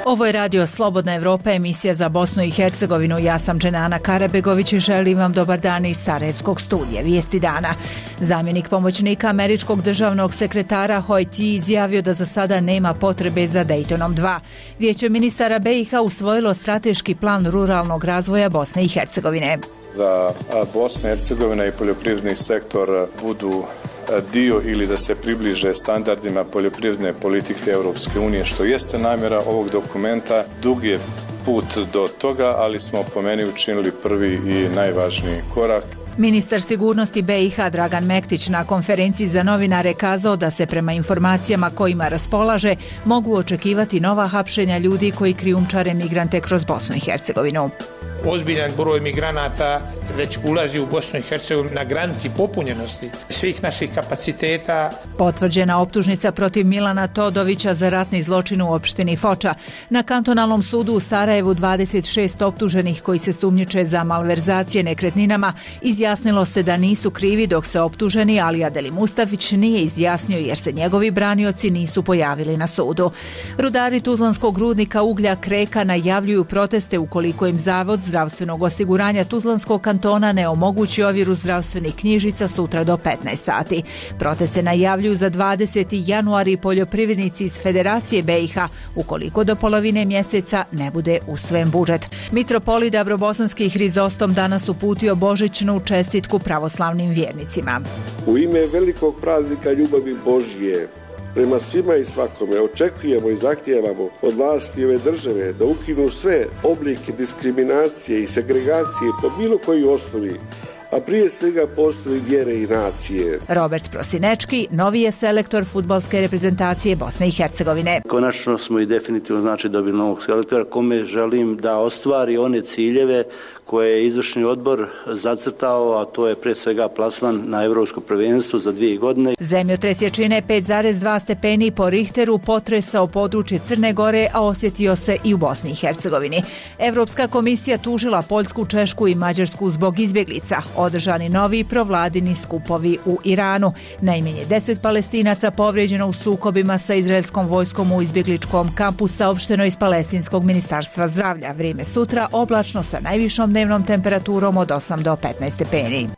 Ovo je radio Slobodna Evropa, emisija za Bosnu i Hercegovinu. Ja sam Dženana Karabegović i želim vam dobar dan iz Sarajevskog studija. Vijesti dana. Zamjenik pomoćnika američkog državnog sekretara Hoyt izjavio da za sada nema potrebe za Daytonom 2. Vijeće ministara BiH usvojilo strateški plan ruralnog razvoja Bosne i Hercegovine. Da Bosna i Hercegovina i poljoprivredni sektor budu dio ili da se približe standardima poljoprivredne politike Europske unije, što jeste namjera ovog dokumenta. Dug je put do toga, ali smo po meni učinili prvi i najvažniji korak. Ministar sigurnosti BiH Dragan Mektić na konferenciji za novinare kazao da se prema informacijama kojima raspolaže mogu očekivati nova hapšenja ljudi koji krijumčare migrante kroz Bosnu i Hercegovinu. Ozbiljan broj migranata već ulazi u Bosnu i Hercegovinu na granici popunjenosti svih naših kapaciteta. Potvrđena optužnica protiv Milana Todovića za ratni zločin u opštini Foča. Na kantonalnom sudu u Sarajevu 26 optuženih koji se sumnjiče za malverzacije nekretninama izjasnilo se da nisu krivi, dok se optuženi Alija Deli Mustafić nije izjasnio jer se njegovi branioci nisu pojavili na sudu. Rudari Tuzlanskog rudnika uglja Kreka najavljuju proteste ukoliko im Zavod zdravstvenog osiguranja Tuzlanskog kantona ne omogući ovjeru zdravstvenih knjižica sutra do 15 sati. Proteste najavljuju za 20. januar i poljoprivrednici iz Federacije BiH ukoliko do polovine mjeseca ne bude usvojen budžet. Mitropolit Dabrobosanski Hrizostom danas uputio božićnu čestitku pravoslavnim vjernicima. U ime velikog praznika ljubavi Božje prema svima i svakome očekujemo i zahtijevamo od vlasti ove države da ukinu sve oblike diskriminacije i segregacije po bilo kojoj osnovi, a prije svega postoji vjere i nacije. Robert Prosinečki, novi je selektor fudbalske reprezentacije Bosne i Hercegovine. Konačno smo i definitivno dobili novog selektora kome želim da ostvari one ciljeve koje je izvršni odbor zacrtao, a to je pre svega plasman na Evropsko prvenstvo za 2 godine. Zemljotres jačine 5,2 stepeni po Richteru potresao područje Crne Gore, a osjetio se i u Bosni i Hercegovini. Evropska komisija tužila Poljsku, Češku i Mađarsku zbog izbjeglica. Održani novi provladini skupovi u Iranu. Najmanje 10 Palestinaca povrijeđeno u sukobima sa izraelskom vojskom u izbjegličkom kampu, saopšteno iz Palestinskog ministarstva zdravlja. Vrijeme sutra oblačno sa najvišom dnevnom temperaturom od 8 do 15 stepeni.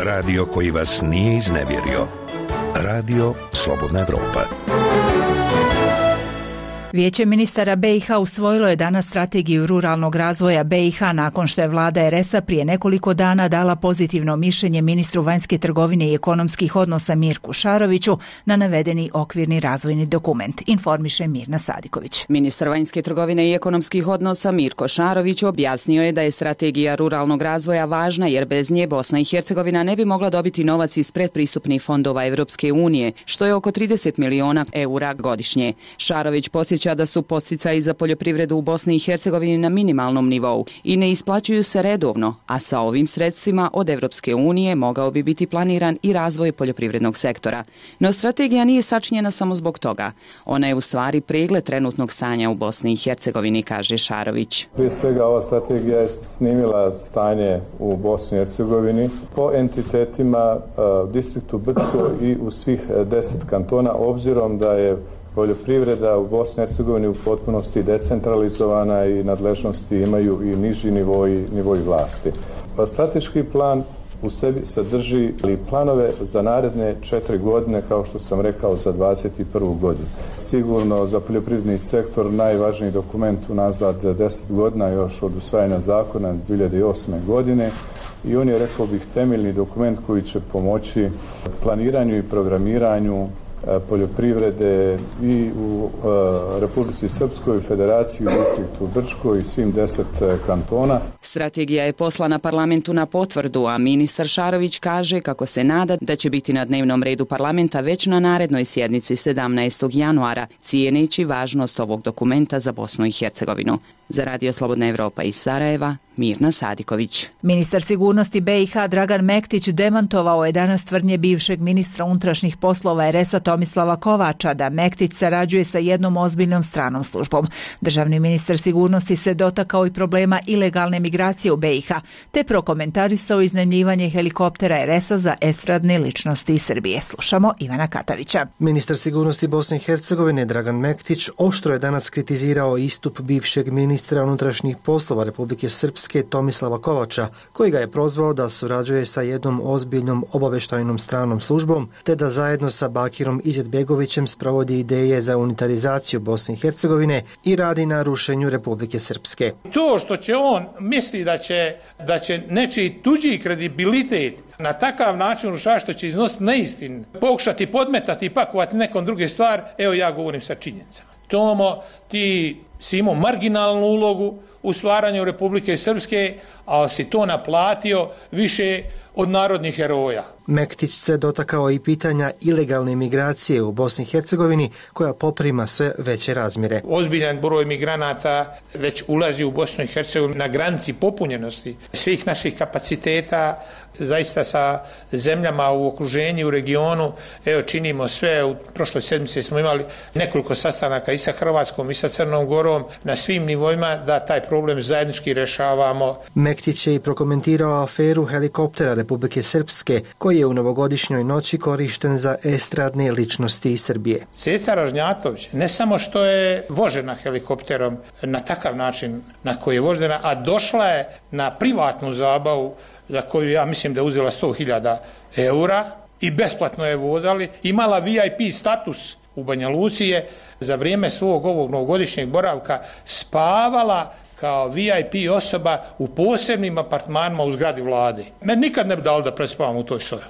Radio koji vas nije iznevjerio. Radio Slobodna Evropa. Vijeće ministara BiH usvojilo je danas strategiju ruralnog razvoja BiH nakon što je vlada RS-a prije nekoliko dana dala pozitivno mišljenje ministru vanjske trgovine i ekonomskih odnosa Mirku Šaroviću na navedeni okvirni razvojni dokument, informiše Mirna Sadiković. Ministar vanjske trgovine i ekonomskih odnosa Mirko Šarović objasnio je da je strategija ruralnog razvoja važna jer bez nje Bosna i Hercegovina ne bi mogla dobiti novac iz predpristupnih fondova Evropske unije, što je oko 30 miliona eura godišnje. Šarović podsjeća da su podsticaji za poljoprivredu u Bosni i Hercegovini na minimalnom nivou i ne isplaćuju se redovno, a sa ovim sredstvima od Evropske unije mogao bi biti planiran i razvoj poljoprivrednog sektora. No strategija nije sačinjena samo zbog toga. Ona je u stvari pregled trenutnog stanja u Bosni i Hercegovini, kaže Šarović. Prije svega ova strategija je snimila stanje u Bosni i Hercegovini po entitetima distriktu Brčko i u svih 10 kantona, obzirom da je poljoprivreda u Bosni i Hercegovini u potpunosti decentralizovana i nadležnosti imaju i niži nivoji vlasti. Strateški plan u sebi sadrži planove za naredne 4 godine, kao što sam rekao, za 21. godinu. Sigurno za poljoprivredni sektor najvažniji dokument unazad 10 godina, još od usvajanja zakona 2008. godine, i on je, rekao bih, temeljni dokument koji će pomoći planiranju i programiranju poljoprivrede i u Republici Srpskoj, Federaciji, u distriktu Brčko i svim 10 kantona. Strategija je poslana parlamentu na potvrdu, a ministar Šarović kaže kako se nada da će biti na dnevnom redu parlamenta već na narednoj sjednici 17. januara, cijeneći važnost ovog dokumenta za Bosnu i Hercegovinu. Za Radio Slobodna Evropa iz Sarajeva, Mirna Sadiković. Ministar sigurnosti BiH Dragan Mektić demantovao je danas tvrdnje bivšeg ministra unutrašnjih poslova RS-a Tomislava Kovača da Mektić sarađuje sa jednom ozbiljnom stranom službom. Državni ministar sigurnosti se dotakao i problema ilegalne migracije u BiH, te prokomentarisao iznajmljivanje helikoptera RS-a za estradne ličnosti iz Srbije. Slušamo Ivana Katavića. Ministar sigurnosti Bosne i Hercegovine Dragan Mektić oštro je danas kritizirao istup bivšeg ministra unutrašnjih poslova Republike Srpske Tomislava Kovača, koji ga je prozvao da surađuje sa jednom ozbiljnom obavještajnom stranom službom, te da zajedno sa Bakirom Izetbegovićem sprovodi ideje za unitarizaciju Bosne i Hercegovine i radi na rušenju Republike Srpske. To što će on misli da će nečiji tuđi kredibilitet na takav način urušavati, što će iznositi neistinu, pokušati podmetati i pakovati nekom druge stvar, evo ja govorim sa činjenicama. Tomo, ti si imao marginalnu ulogu u stvaranju Republike Srpske, ali si to naplatio više od narodnih heroja. Mektić se dotakao i pitanja ilegalne migracije u Bosni i Hercegovini, koja poprima sve veće razmjere. Ozbiljan broj migranata već ulazi u Bosnu i Hercegovinu na granici popunjenosti svih naših kapaciteta, zaista sa zemljama u okruženju, u regionu. Evo, činimo sve. U prošloj sedmici smo imali nekoliko sastanaka i sa Hrvatskom i sa Crnom Gorom na svim nivoima da taj problem zajednički rešavamo. Mektić je i prokomentirao aferu helikoptera Republike Srpske, koji je u novogodišnjoj noći korišten za estradne ličnosti iz Srbije. Ceca Ražnjatović ne samo što je vožena helikopterom na takav način na koji je vožena, a došla je na privatnu zabavu za koju ja mislim da je uzela 100.000 eura i besplatno je vozali, imala VIP status u Banja Luci, je za vrijeme svog ovog novogodišnjeg boravka spavala kao VIP osoba u posebnim apartmanima u zgradi vlade. Meni nikad ne bi dali da prespavam u toj sobi.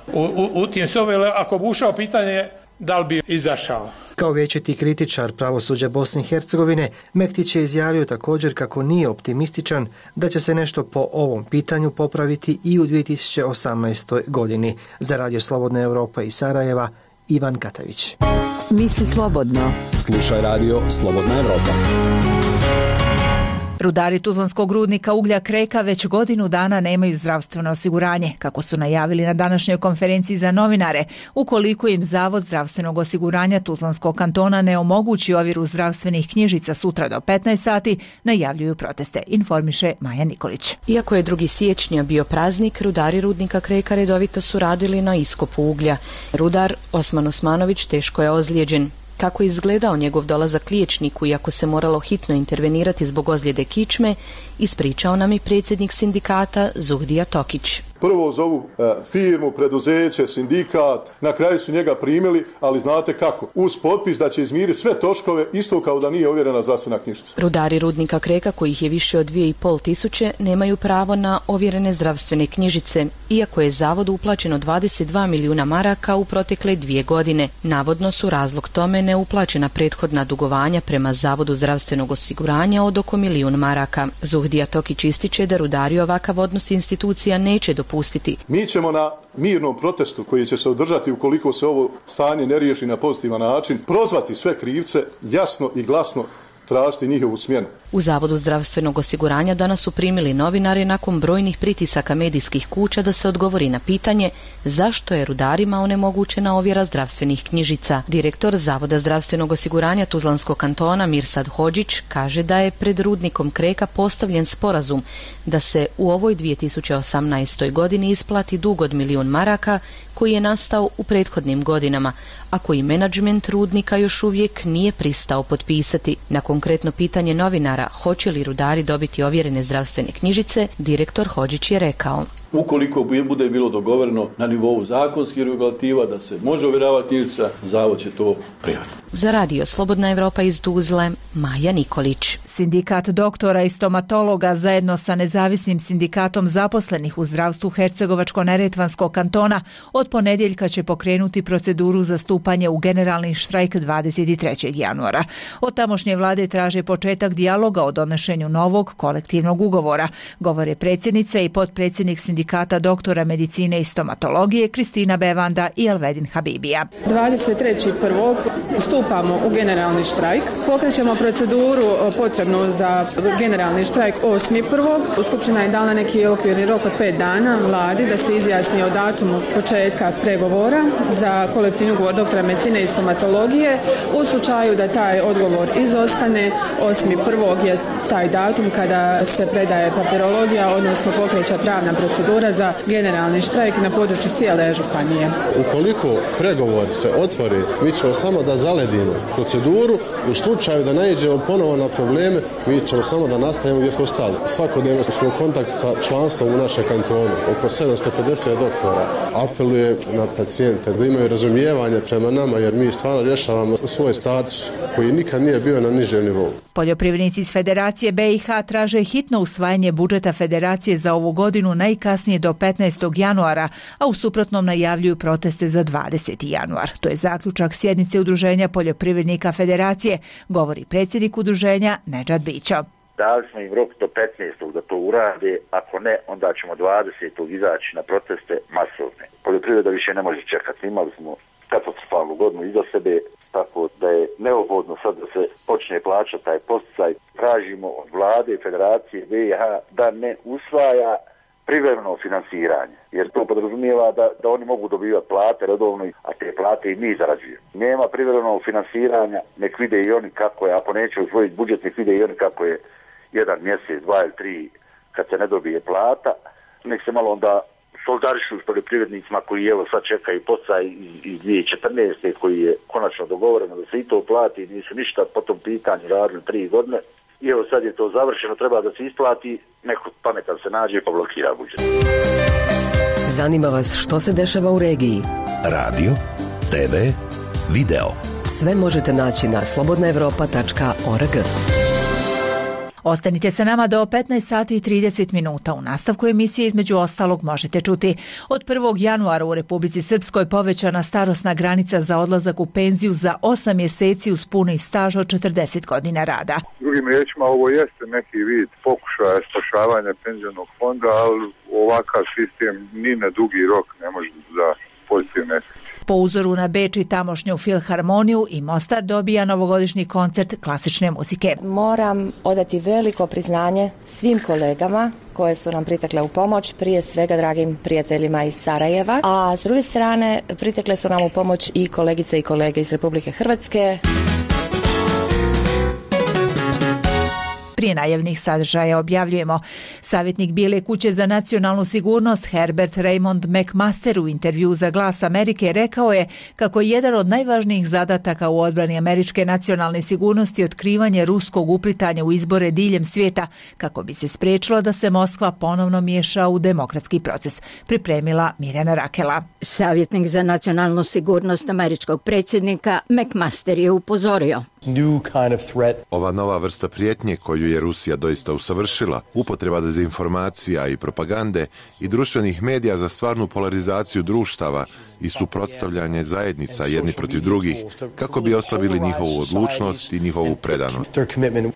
U tim sobi, ako bi ušao, pitanje da li bi izašao. Kao vječiti kritičar pravosuđa Bosne i Hercegovine, Mektić je izjavio također kako nije optimističan da će se nešto po ovom pitanju popraviti i u 2018. godini. Za Radio Slobodna Evropa iz Sarajeva, Ivan Katavić. Misli slobodno. Slušaj Radio Slobodna Evropa. Rudari tuzlanskog rudnika uglja Kreka već godinu dana nemaju zdravstveno osiguranje, kako su najavili na današnjoj konferenciji za novinare. Ukoliko im Zavod zdravstvenog osiguranja Tuzlanskog kantona ne omogući ovjeru zdravstvenih knjižica sutra do 15 sati, najavljuju proteste, informiše Maja Nikolić. Iako je 2. siječnja bio praznik, rudari rudnika Kreka redovito su radili na iskopu uglja. Rudar Osman Osmanović teško je ozlijeđen. Kako je izgledao njegov dolazak liječniku, iako se moralo hitno intervenirati zbog ozljede kičme, ispričao nam i predsjednik sindikata Zuhdija Tokić. Prvo zovu firmu, preduzeće, sindikat, na kraju su njega primili, ali znate kako? Uz potpis da će izmiriti sve troškove, isto kao da nije ovjerena zdravstvena knjižica. Rudari rudnika Kreka, kojih je više od 2.500, nemaju pravo na ovjerene zdravstvene knjižice, iako je zavodu uplaćeno 22 milijuna maraka u protekle 2 godine. Navodno su razlog tome neuplaćena prethodna dugovanja prema Zavodu zdravstvenog osiguranja od oko 1 milijun maraka. Zuhdija Tokić ističe da rudari ovakav odnos institucija neće dopustiti. Mi ćemo na mirnom protestu koji će se održati ukoliko se ovo stanje ne riješi na pozitivan način, prozvati sve krivce, jasno i glasno tražiti njihovu smjenu. U Zavodu zdravstvenog osiguranja danas su primili novinari nakon brojnih pritisaka medijskih kuća da se odgovori na pitanje zašto je rudarima onemogućena ovjera zdravstvenih knjižica. Direktor Zavoda zdravstvenog osiguranja Tuzlanskog kantona Mirsad Hodžić kaže da je pred rudnikom Kreka postavljen sporazum da se u ovoj 2018. godini isplati dug od 1 milijun maraka koji je nastao u prethodnim godinama, a koji menadžment rudnika još uvijek nije pristao potpisati. Na konkretno pitanje novinara hoće li rudari dobiti ovjerene zdravstvene knjižice, direktor Hodžić je rekao: ukoliko bude bilo dogovoreno na nivou zakonskih regulativa da se može ovjeravati knjižica, Zavod će to prihvatiti. Za Radio Slobodna Evropa iz Tuzle, Maja Nikolić. Sindikat doktora i stomatologa zajedno sa nezavisnim sindikatom zaposlenih u zdravstvu Hercegovačko-neretvanskog kantona od ponedjeljka će pokrenuti proceduru za stupanje u generalni štrajk 23. januara. Od tamošnje vlade traže početak dijaloga o donošenju novog kolektivnog ugovora, govore predsjednica i potpredsjednik sindikata doktora medicine i stomatologije Kristina Bevanda i Elvedin Habibija. 23.1. stupamo u generalni štrajk. Pokrećemo proceduru potrebnu za generalni štrajk 8.1. Skupština je dala neki okvirni rok od 5 dana vladi da se izjasni o datumu početka pregovora za kolektivni ugovor doktora medicine i stomatologije. U slučaju da taj odgovor izostane, 8.1. je taj datum kada se predaje papirologija, odnosno pokreće pravna procedura za generalni štrajk na području cijele županije. Ukoliko pregovor se otvori, mi ćemo samo da zaledimo proceduru. U slučaju da naiđemo ponovo na probleme, mi ćemo samo da nastavimo gdje smo stali. Svakodnevno smo u kontaktu sa članstvom u našem kantonu. Oko 750 doktora apeluje na pacijente da imaju razumijevanje prema nama, jer mi stvarno rješavamo svoj status koji nikad nije bio na nižem nivou. Poljoprivrednici iz Federacije BiH traže hitno usvajanje budžeta Federacije za ovu godinu najkasnije do 15. januara, a u suprotnom najavljuju proteste za 20. januar. To je zaključak sjednice Udruženja poljoprivrednika Federacije, govori predsjednik udruženja Nedžad Bićo. Dali smo im rok do 15. da to urade, ako ne, onda ćemo 20. izaći na proteste masovne. Poljoprivreda više ne može čekati. Imali smo katastrofalnu godinu iza sebe, tako da je neophodno sad da se počne plaćati taj posticaj. Tražimo od vlade i Federacije BiH da ne usvaja privremeno finansiranje, jer to podrazumijeva da oni mogu dobivati plate redovno, a te plate i mi zarađujemo. Nema privremenog finansiranja, nek vide i oni kako je, ako neće usvojiti budžet, nek vide i oni kako je jedan mjesec, 2 ili 3 kad se ne dobije plata, nek se malo onda solidarišu s poljoprivrednicima koji evo sad čekaju posticaj iz 2014. koji je konačno dogovoreno da se i to plati, nisu ništa po tom pitanju radili 3 godine. I evo sad je to završeno, treba da se isplati, neko pametan se nađe pa blokira budžet. Zanima vas što se dešava u regiji? Radio, TV, video. Sve možete naći na slobodnaevropa.org. Ostanite sa nama do 15 sati i 30 minuta. U nastavku emisije između ostalog možete čuti: od 1. januara u Republici Srpskoj povećana starosna granica za odlazak u penziju za 8 mjeseci uz puni staž od 40 godina rada. Drugim riječima, ovo jeste neki vid pokušaja spašavanja penzionog fonda, ali ovakav sistem ni na dugi rok ne može za pozitivne efekte. Po uzoru na Beč i tamošnju filharmoniju i Mostar dobija novogodišnji koncert klasične muzike. Moram odati veliko priznanje svim kolegama koje su nam pritekle u pomoć, prije svega dragim prijateljima iz Sarajeva, a s druge strane pritekle su nam u pomoć i kolegice i kolege iz Republike Hrvatske. Prije najavnih sadržaja objavljujemo: savjetnik Bijele kuće za nacionalnu sigurnost Herbert Raymond McMaster u intervju za Glas Amerike rekao je kako je jedan od najvažnijih zadataka u odbrani američke nacionalne sigurnosti otkrivanje ruskog uplitanja u izbore diljem svijeta kako bi se spriječilo da se Moskva ponovno miješa u demokratski proces. Pripremila Mirjana Rakela. Savjetnik za nacionalnu sigurnost američkog predsjednika McMaster je upozorio: ova nova vrsta prijetnje koju je Rusija doista usavršila, upotreba dezinformacija i propagande i društvenih medija za stvarnu polarizaciju društava i suprotstavljanje zajednica jedni protiv drugih, kako bi oslabili njihovu odlučnost i njihovu predanost.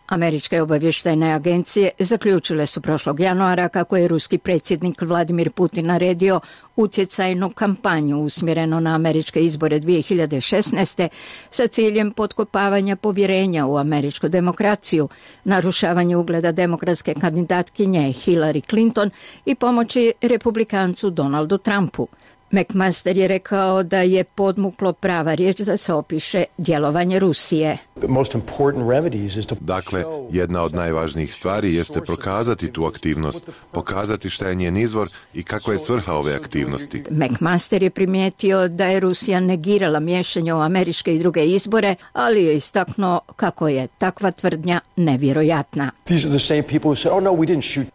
Američke obavještajne agencije zaključile su prošlog januara kako je ruski predsjednik Vladimir Putin naredio utjecajnu kampanju usmjerenu na američke izbore 2016. sa ciljem potkopavanja povjerenja u američku demokraciju, narušavanje ugleda demokratske kandidatkinje Hillary Clinton i pomoći republikancu Donaldu Trumpu. McMaster je rekao da je podmuklo prava riječ da se opiše djelovanje Rusije. Dakle, jedna od najvažnijih stvari jeste prokazati tu aktivnost, pokazati šta je njen izvor i kakva je svrha ove aktivnosti. McMaster je primijetio da je Rusija negirala miješanje u američke i druge izbore, ali je istaknuo kako je takva tvrdnja nevjerojatna.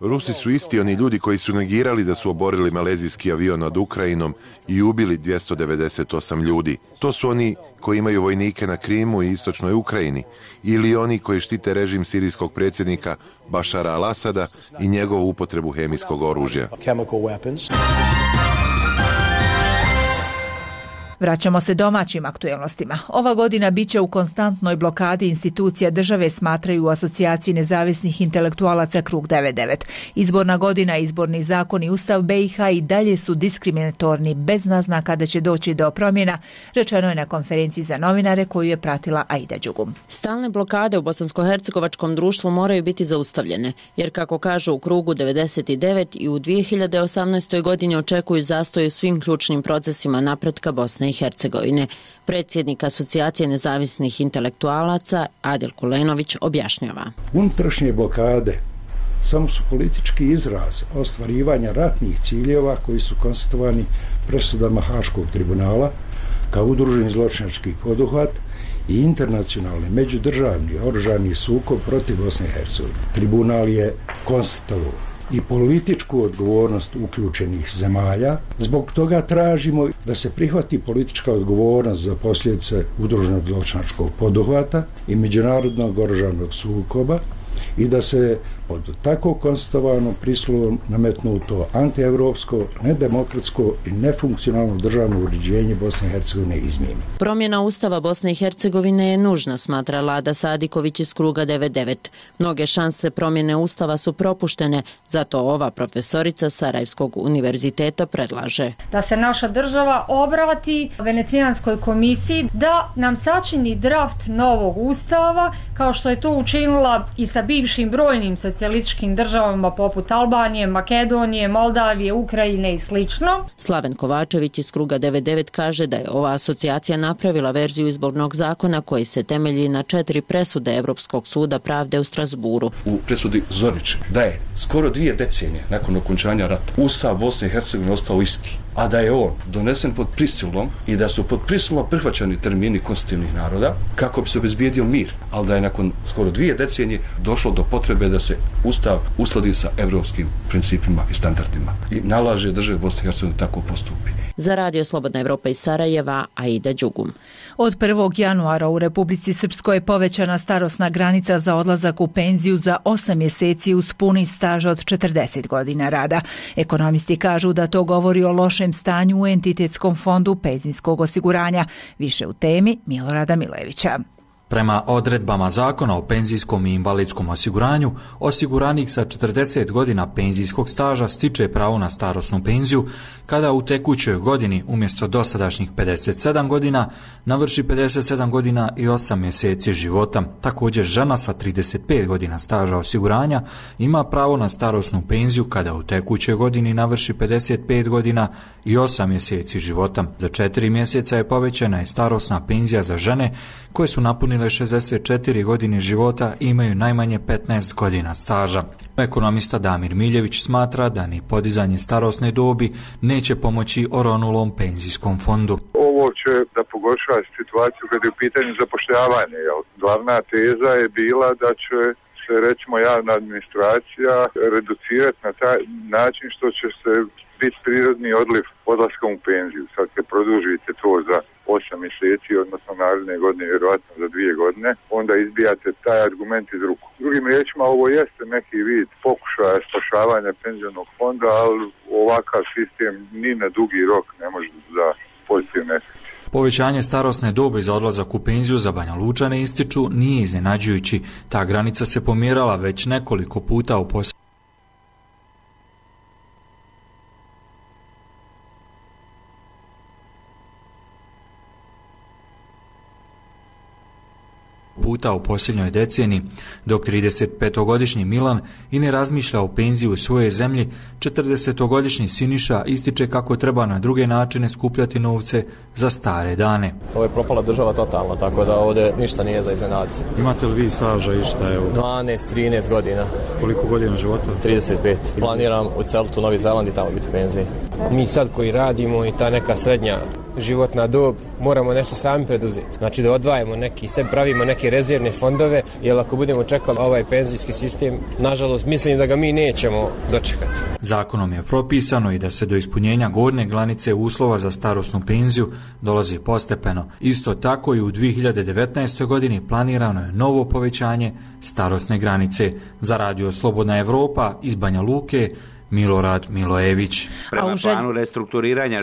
Rusi su isti oni ljudi koji su negirali da su oborili malezijski avion nad Ukrajinom i ubili 298 ljudi. To su oni koji imaju vojnike na Krimu i istočnoj Ukrajini, ili oni koji štite režim sirijskog predsjednika Bašara al-Asada i njegovu upotrebu hemijskog oružja. Vraćamo se domaćim aktuelnostima. Ova godina biće u konstantnoj blokadi institucija države, smatraju u Asocijaciji nezavisnih intelektualaca Krug 99. Izborna godina, izborni zakon i Ustav BiH i dalje su diskriminatorni, bez naznaka da će doći do promjena, rečeno je na konferenciji za novinare koju je pratila Aida Đugum. Stalne blokade u bosansko-hercegovačkom društvu moraju biti zaustavljene, jer kako kažu u Krugu 99 i u 2018. godini očekuju zastoj u svim ključnim procesima napretka Bosne i Hercegovine. Predsjednik Asocijacije nezavisnih intelektualaca Adil Kulenović objašnjava. Unutrašnje blokade samo su politički izraz ostvarivanja ratnih ciljeva koji su konstatovani presudama Haškog tribunala kao udruženi zločinački poduhvat i internacionalni međudržavni oružani sukob protiv Bosne i Hercegovine. Tribunal je konstatovao i političku odgovornost uključenih zemalja. Zbog toga tražimo da se prihvati politička odgovornost za posljedice udruženog zločinačkog poduhvata i međunarodnog oružanog sukoba i da se pod tako konstatovanom prisilom nametnuto antievropsko, nedemokratsko i nefunkcionalno državno uređenje Bosne i Hercegovine izmijeni. Promjena Ustava Bosne i Hercegovine je nužna, smatra Lada Sadiković iz Kruga 99. Mnoge šanse promjene Ustava su propuštene, zato ova profesorica Sarajevskog univerziteta predlaže da se naša država obrati Venecijanskoj komisiji da nam sačini draft novog Ustava, kao što je to učinila i sa bivšim brojnim socijalističkim državama poput Albanije, Makedonije, Moldavije, Ukrajine i slično. Slaven Kovačević iz Kruga 99 kaže da je ova asocijacija napravila verziju izbornog zakona koji se temelji na 4 presude Evropskog suda pravde u Strasburu. U presudi Zorić da je skoro 2 decenije nakon okončanja rata Ustav Bosne i Hercegovine ostao isti, a da je on donesen pod prisilom i da su pod prisilom prihvaćani termini konstitutivnih naroda kako bi se obezbijedio mir, ali da je nakon skoro 2 decenije došlo do potrebe da se Ustav uskladi sa evropskim principima i standardima i nalaže državi Bosne i Hercegovine tako postupi. Za Radio Slobodna Evropa iz Sarajeva, Aida Đugum. Od 1. januara u Republici Srpskoj je povećana starosna granica za odlazak u penziju za 8 mjeseci uz puni staž od 40 godina rada. Ekonomisti kažu da to govori o lošem stanju u entitetskom fondu penzijskog osiguranja. Više u temi Milorada Milojevića. Prema odredbama Zakona o penzijskom i invalidskom osiguranju, osiguranik sa 40 godina penzijskog staža stiče pravo na starosnu penziju kada u tekućoj godini umjesto dosadašnjih 57 godina navrši 57 godina i 8 mjeseci života. Također žena sa 35 godina staža osiguranja ima pravo na starosnu penziju kada u tekućoj godini navrši 55 godina i 8 mjeseci života. Za 4 mjeseca je povećana i starosna penzija za žene koje su napunile 64 godine života i imaju najmanje 15 godina staža. Ekonomista Damir Miljević smatra da ni podizanje starosne dobi neće pomoći oronulom penzijskom fondu. Ovo će da pogorša situaciju kada je u pitanju zapošljavanja. Glavna teza je bila da će se, recimo, javna administracija reducirati na taj način što će se biti prirodni odliv odlaskom u penziju. Sad kad produžite to za 8 mjeseci, odnosno naredne godine, vjerojatno za 2 godine, onda izbijate taj argument iz ruku. Drugim riječima, ovo jeste neki vid pokušaja spašavanja penzionog fonda, ali ovakav sistem ni na dugi rok ne može za pozitivne efekte. Povećanje starosne dobi za odlazak u penziju za Banja Lučane, ističu, nije iznenađujući. Ta granica se pomjerala već nekoliko puta u posljednjoj deceniji, dok 35-godišnji Milan i ne razmišlja o penziji u svojoj zemlji, 40-godišnji Siniša ističe kako treba na druge načine skupljati novce za stare dane. Ovo je propala država totalno, tako da ovdje ništa nije za iznenaditi. Imate li vi staža i šta je ovo? 12-13 godina. Koliko godina života? 35. Planiram uceliti u Novi Zeland i tamo biti u penziji. Mi sad koji radimo i ta neka srednja životna dob, moramo nešto sami preduzeti. Znači da odvajamo neki, sve pravimo neke rezervne fondove, jer ako budemo čekali ovaj penzijski sistem, nažalost, mislim da ga mi nećemo dočekati. Zakonom je propisano i da se do ispunjenja gornje granice uslova za starosnu penziju dolazi postepeno. Isto tako i u 2019. godini planirano je novo povećanje starosne granice. Za Radio Slobodna Evropa iz Banja Luke, Milorad Milojević. Prema planu restrukturiranja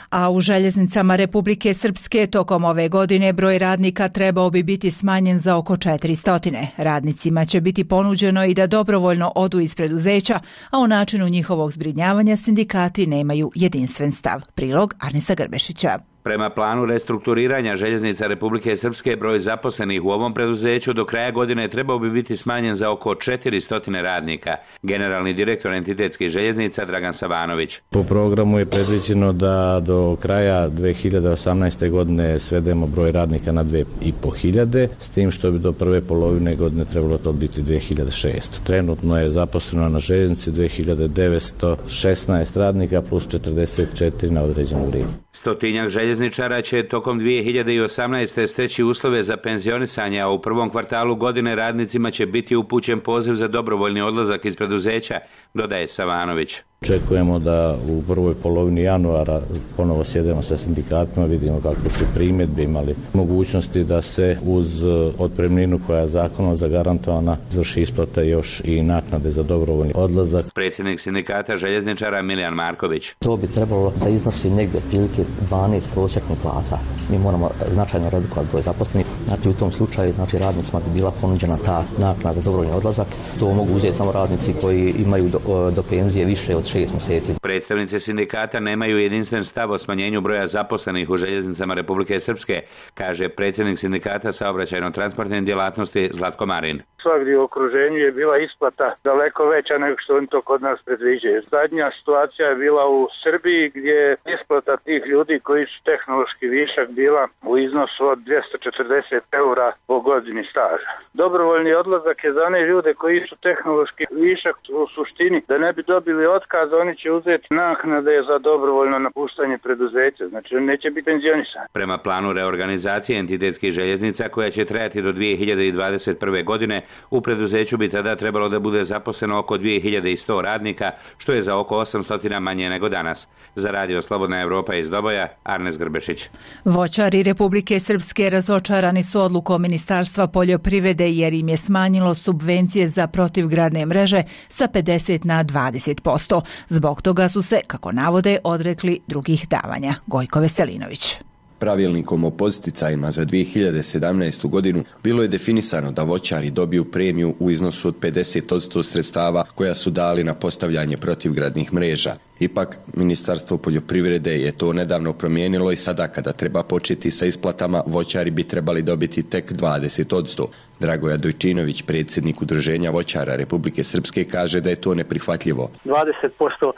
A u željeznicama Republike Srpske tokom ove godine broj radnika trebao bi biti smanjen za oko 400. Radnicima će biti ponuđeno i da dobrovoljno odu iz preduzeća, a o načinu njihovog zbrinjavanja sindikati nemaju jedinstven stav. Prilog Arnesa Grbešića. Prema planu restrukturiranja željeznica Republike Srpske, broj zaposlenih u ovom preduzeću do kraja godine trebao bi biti smanjen za oko 400 radnika. Generalni direktor entitetskih željeznica Dragan Savanović. Po programu je predviđeno da do kraja 2018. godine svedemo broj radnika na 2500, s tim što bi do prve polovine godine trebalo to biti 2600. Trenutno je zaposleno na željeznici 2916 radnika plus 44 na određeno vrijeme. Stotinjak željezničara će tokom 2018. steći uslove za penzionisanje, a u prvom kvartalu godine radnicima će biti upućen poziv za dobrovoljni odlazak iz preduzeća, dodaje Savanović. Očekujemo da u prvoj polovini januara ponovo sjedemo sa sindikatima, vidimo kako su primjedbe, imali mogućnosti da se uz otpremninu koja je zakonom zagarantovana izvrši isplata još i naknade za dobrovoljni odlazak. Predsjednik sindikata željezničara Milijan Marković. To bi trebalo da iznosi negdje prilike 12 prosječnih plata. Mi moramo značajno redukovati broj zaposlenih. Znači u tom slučaju radnicima bi bila ponuđena ta naknada za dobrovoljni odlazak. To mogu uzeti samo radnici koji imaju do penzije više od 6 mjeseci. Predstavnici sindikata nemaju jedinstven stav o smanjenju broja zaposlenih u željeznicama Republike Srpske, kaže predsjednik sindikata saobraćajno-transportne djelatnosti Zlatko Marin. Svagdje u okruženju je bila isplata daleko veća nego što oni to kod nas predviđaju. Zadnja situacija je bila u Srbiji gdje je isplata tih ljudi koji su tehnološki višak bila u iznosu od 240 eura po godini staža. Dobrovoljni odlazak je za one ljude koji su tehnološki višak u suštini da ne bi dobili otkaz, oni će uzeti naknade za dobrovoljno napuštanje preduzeća, znači oni neće biti penzionisani. Prema planu reorganizacije entitetskih željeznica koja će trajati do 2021. godine, u preduzeću bi tada trebalo da bude zaposleno oko 2100 radnika, što je za oko 800 manje nego danas. Za Radio Slobodna Evropa iz Doboja, Arnes Grbešić. Voćari Republike Srpske razočarani su odlukom Ministarstva poljoprivrede jer im je smanjilo subvencije za protivgradne mreže sa 50 na 20%. Zbog toga su se, kako navode, odrekli drugih davanja. Gojko Veselinović. Pravilnikom o podsticajima za 2017. godinu bilo je definisano da voćari dobiju premiju u iznosu od 50% sredstava koja su dali na postavljanje protivgradnih mreža. Ipak, Ministarstvo poljoprivrede je to nedavno promijenilo i sada kada treba početi sa isplatama, voćari bi trebali dobiti tek 20%. Dragoja Dojčinović, predsjednik Udruženja voćara Republike Srpske, kaže da je to neprihvatljivo. 20%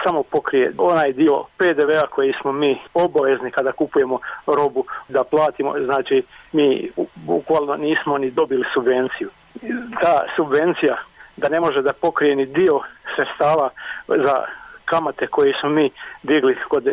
samo pokrije onaj dio PDV-a koji smo mi obavezni kada kupujemo robu da platimo, znači mi bukvalno nismo ni dobili subvenciju. Ta subvencija da ne može da pokrije ni dio sredstava za kamate koje smo mi digli kod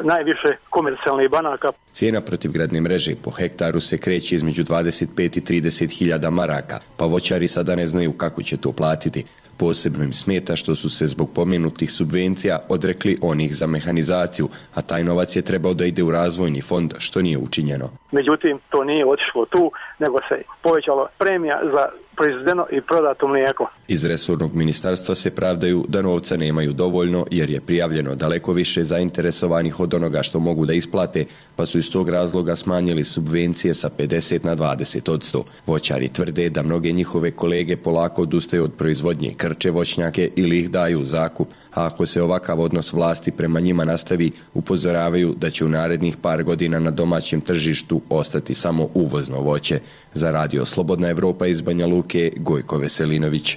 najviše komercijalnih banaka. Cijena protivgradne mreže po hektaru se kreće između 25 i 30 hiljada maraka, pa voćari sada ne znaju kako će to platiti. Posebno im smeta što su se zbog pomenutih subvencija odrekli onih za mehanizaciju, a taj novac je trebao da ide u razvojni fond, što nije učinjeno. Međutim, to nije otišlo tu, nego se povećala premija za proizvedeno i prodato mlijeko. Iz resornog ministarstva se pravdaju da novca nemaju dovoljno jer je prijavljeno daleko više zainteresovanih od onoga što mogu da isplate, pa su iz tog razloga smanjili subvencije sa 50 na 20%. Voćari tvrde da mnoge njihove kolege polako odustaju od proizvodnje, krče voćnjake ili ih daju u zakup, a ako se ovakav odnos vlasti prema njima nastavi, upozoravaju da će u narednih par godina na domaćem tržištu ostati samo uvozno voće. Za Radio Slobodna Evropa iz Banja Luke, Gojko Veselinović.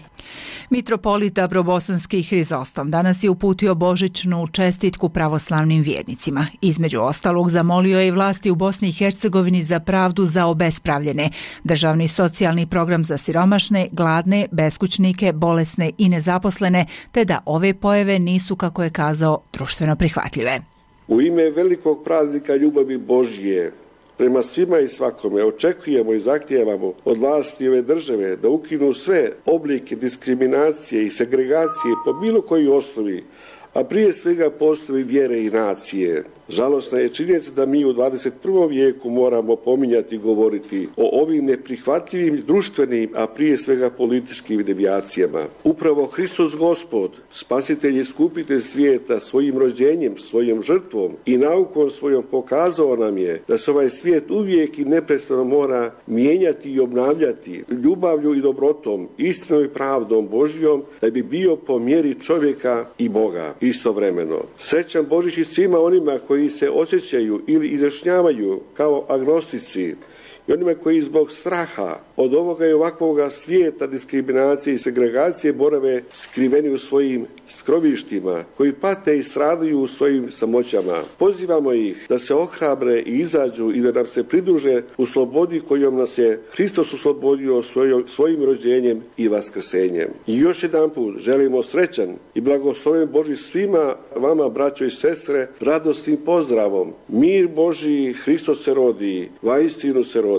Mitropolita Brobosanski Hrizostom danas je uputio božićnu čestitku pravoslavnim vjernicima. Između ostalog zamolio je i vlasti u Bosni i Hercegovini za pravdu za obespravljene, državni socijalni program za siromašne, gladne, beskućnike, bolesne i nezaposlene, te da ove pojave nisu, kako je kazao, društveno prihvatljive. U ime velikog praznika ljubavi Božje, prema svima i svakome očekujemo i zahtijevamo od vlasti ove države da ukinu sve oblike diskriminacije i segregacije po bilo kojoj osnovi, a prije svega po osnovi vjere i nacije. Žalosna je činjenica da mi u 21. vijeku moramo pominjati i govoriti o ovim neprihvatljivim društvenim, a prije svega političkim devijacijama. Upravo Hristos Gospod, spasitelj i skupitelj svijeta, svojim rođenjem, svojom žrtvom i naukom svojom pokazao nam je da se ovaj svijet uvijek i neprestano mora mijenjati i obnavljati ljubavlju i dobrotom, istinom i pravdom Božjom, da bi bio po mjeri čovjeka i Boga istovremeno. Srećan Božić i svima onima koji se osjećaju ili izjašnjavaju kao agnostici i onima koji zbog straha od ovoga i ovakvoga svijeta diskriminacije i segregacije borave skriveni u svojim skrovištima, koji pate i stradaju u svojim samoćama. Pozivamo ih da se ohrabre i izađu i da nam se pridruže u slobodi kojom nas je Hristos oslobodio svojim rođenjem i vaskrsenjem. I još jedan put želimo srećan i blagosloven Božji svima vama, braćo i sestre, radosnim pozdravom. Mir Božji, Hristos se rodi, vaistinu se rodi.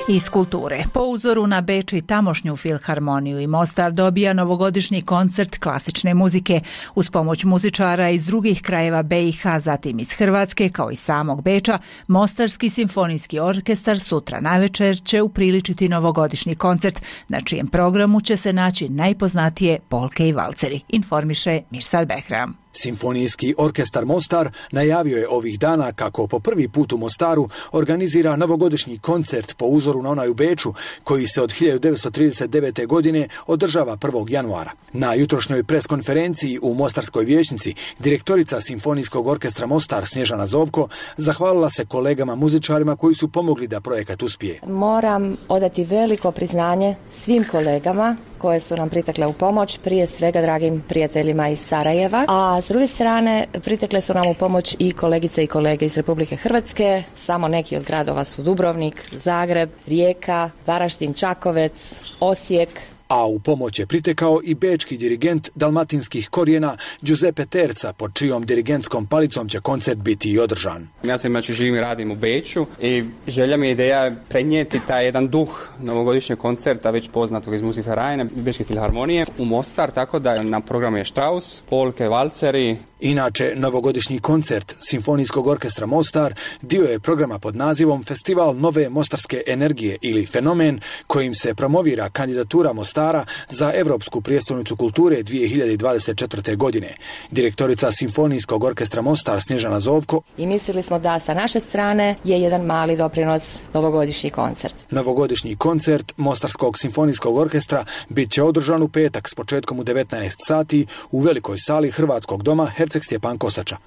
Iz kulture. Po uzoru na Beč i tamošnju filharmoniju i Mostar dobija novogodišnji koncert klasične muzike. Uz pomoć muzičara iz drugih krajeva BiH, zatim iz Hrvatske, kao i samog Beča, Mostarski simfonijski orkestar sutra navečer će upriličiti novogodišnji koncert, na čijem programu će se naći najpoznatije polke i valceri, informiše Mirsad Behram. Simfonijski orkestar Mostar najavio je ovih dana kako po prvi put u Mostaru organizira novogodišnji koncert po uzoru na onaj u Beču, koji se od 1939. godine održava 1. januara. Na jutrošnjoj preskonferenciji u Mostarskoj vijećnici direktorica Simfonijskog orkestra Mostar Snježana Zovko zahvalila se kolegama muzičarima koji su pomogli da projekat uspije. Moram odati veliko priznanje svim kolegama koje su nam pritekle u pomoć, prije svega dragim prijateljima iz Sarajeva, a s druge strane pritekle su nam u pomoć i kolegice i kolege iz Republike Hrvatske. Samo neki od gradova su Dubrovnik, Zagreb, Rijeka, Varaždin, Čakovec, Osijek. A u pomoć je pritekao i bečki dirigent dalmatinskih korijena Giuseppe Terca, pod čijom dirigentskom palicom će koncert biti i održan. Ja sam živim i radim u Beču i želja mi je ideja prenijeti taj jedan duh novogodišnjeg koncerta, već poznatog iz Musikvereina, Bečke filharmonije, u Mostar, tako da na programu je Strauss, polke, valceri. Inače, novogodišnji koncert Simfonijskog orkestra Mostar dio je programa pod nazivom Festival nove mostarske energije ili Fenomen, kojim se promovira kandidatura Mostara za Europsku prijestolnicu kulture 2024. godine. Direktorica Simfonijskog orkestra Mostar Snježana Zovko. I mislili smo da sa naše strane je jedan mali doprinos novogodišnji koncert. Novogodišnji koncert Mostarskog simfonijskog orkestra bit će održan u petak s početkom u 19 sati u velikoj sali Hrvatskog doma Herceg Stjepan Kosača.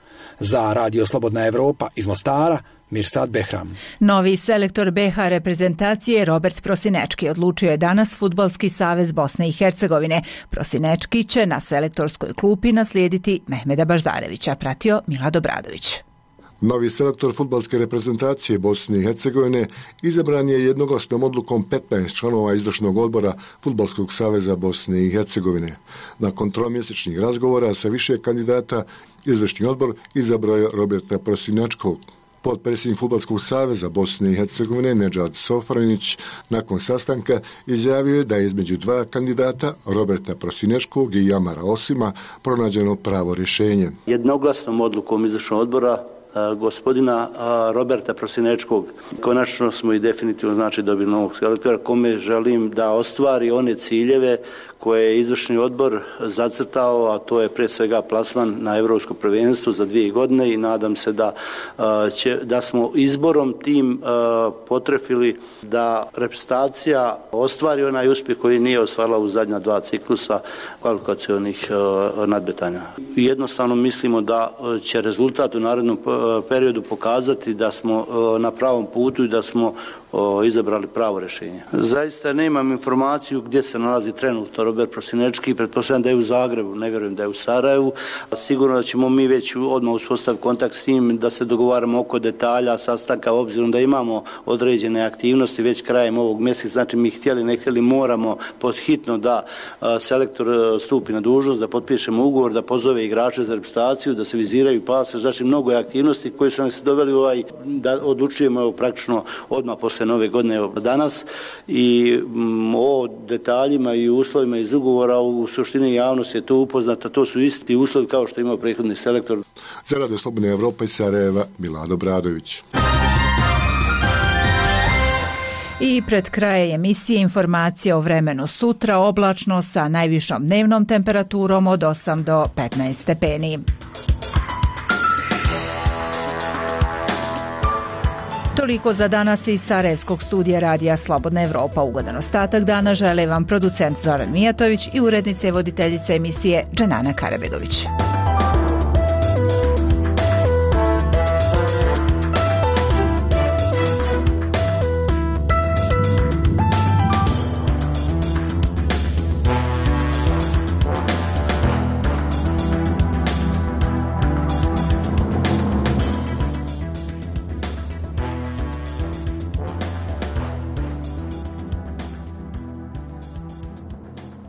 Za Radio Slobodna Evropa iz Mostara, Mirsad Behram. Novi selektor BiH reprezentacije Robert Prosinečki odlučio je danas Fudbalski savez Bosne i Hercegovine. Prosinečki će na selektorskoj klupi naslijediti Mehmeda Baždarevića, pratio Milad Obradović. Novi selektor fudbalske reprezentacije Bosne i Hercegovine izabran je jednoglasnom odlukom 15 članova izvršnog odbora Fudbalskog saveza Bosne i Hercegovine. Nakon tromjesečnih razgovora sa više kandidata, izvršni odbor izabrao je Roberta Prosinečkog. Potpredsjednik Fudbalskog saveza Bosne i Hercegovine Nedžad Sofranić nakon sastanka izjavio je da je između dva kandidata, Roberta Prosinečkog i Jamara Osima, pronađeno pravo rješenje. Jednoglasnom odlukom izvršnog odbora gospodina Roberta Prosinečkog konačno smo i definitivno dobili novog selektora kome želim da ostvari one ciljeve koje je izvršni odbor zacrtao, a to je pre svega plasman na Europsko prvenstvo za 2 godine i nadam se da smo izborom tim potrefili da reprezentacija ostvari onaj uspjeh koji nije ostvarila u zadnja 2 ciklusa kvalifikacionih nadmetanja. Jednostavno mislimo da će rezultat u narednom periodu pokazati da smo na pravom putu i da smo izabrali pravo rješenje. Zaista nemam informaciju gdje se nalazi trenutno Robert Prosinečki, pretpostavljam da je u Zagrebu, ne vjerujem da je u Sarajevu. Sigurno da ćemo mi već odmah uspostaviti kontakt s njim, da se dogovaramo oko detalja sastanka, obzirom da imamo određene aktivnosti već krajem ovog mjeseca. Znači mi htjeli, ne htjeli, moramo podhitno da selektor stupi na dužnost, da potpišemo ugovor, da pozove igrače za reprezentaciju, da se viziraju pase. Znači mnogo je aktivnosti koje su nas doveli da odlučujemo praktično odmah posle se nove godine danas i o detaljima i uslovima iz ugovora u suštini javnost je to upoznata, to su isti uslovi kao što imao prethodni selektor. Za Radio Slobodna Evropa iz Sarajeva, Milano Bradović. I pred kraje emisije informacije o vremenu sutra, oblačno sa najvišom dnevnom temperaturom od 8 do 15 stepeni. Toliko za danas iz Sarajevskog studija Radija Slobodna Evropa. Ugodan ostatak dana žele vam producent Zoran Mijatović i urednica i voditeljica emisije Dženana Karabegović.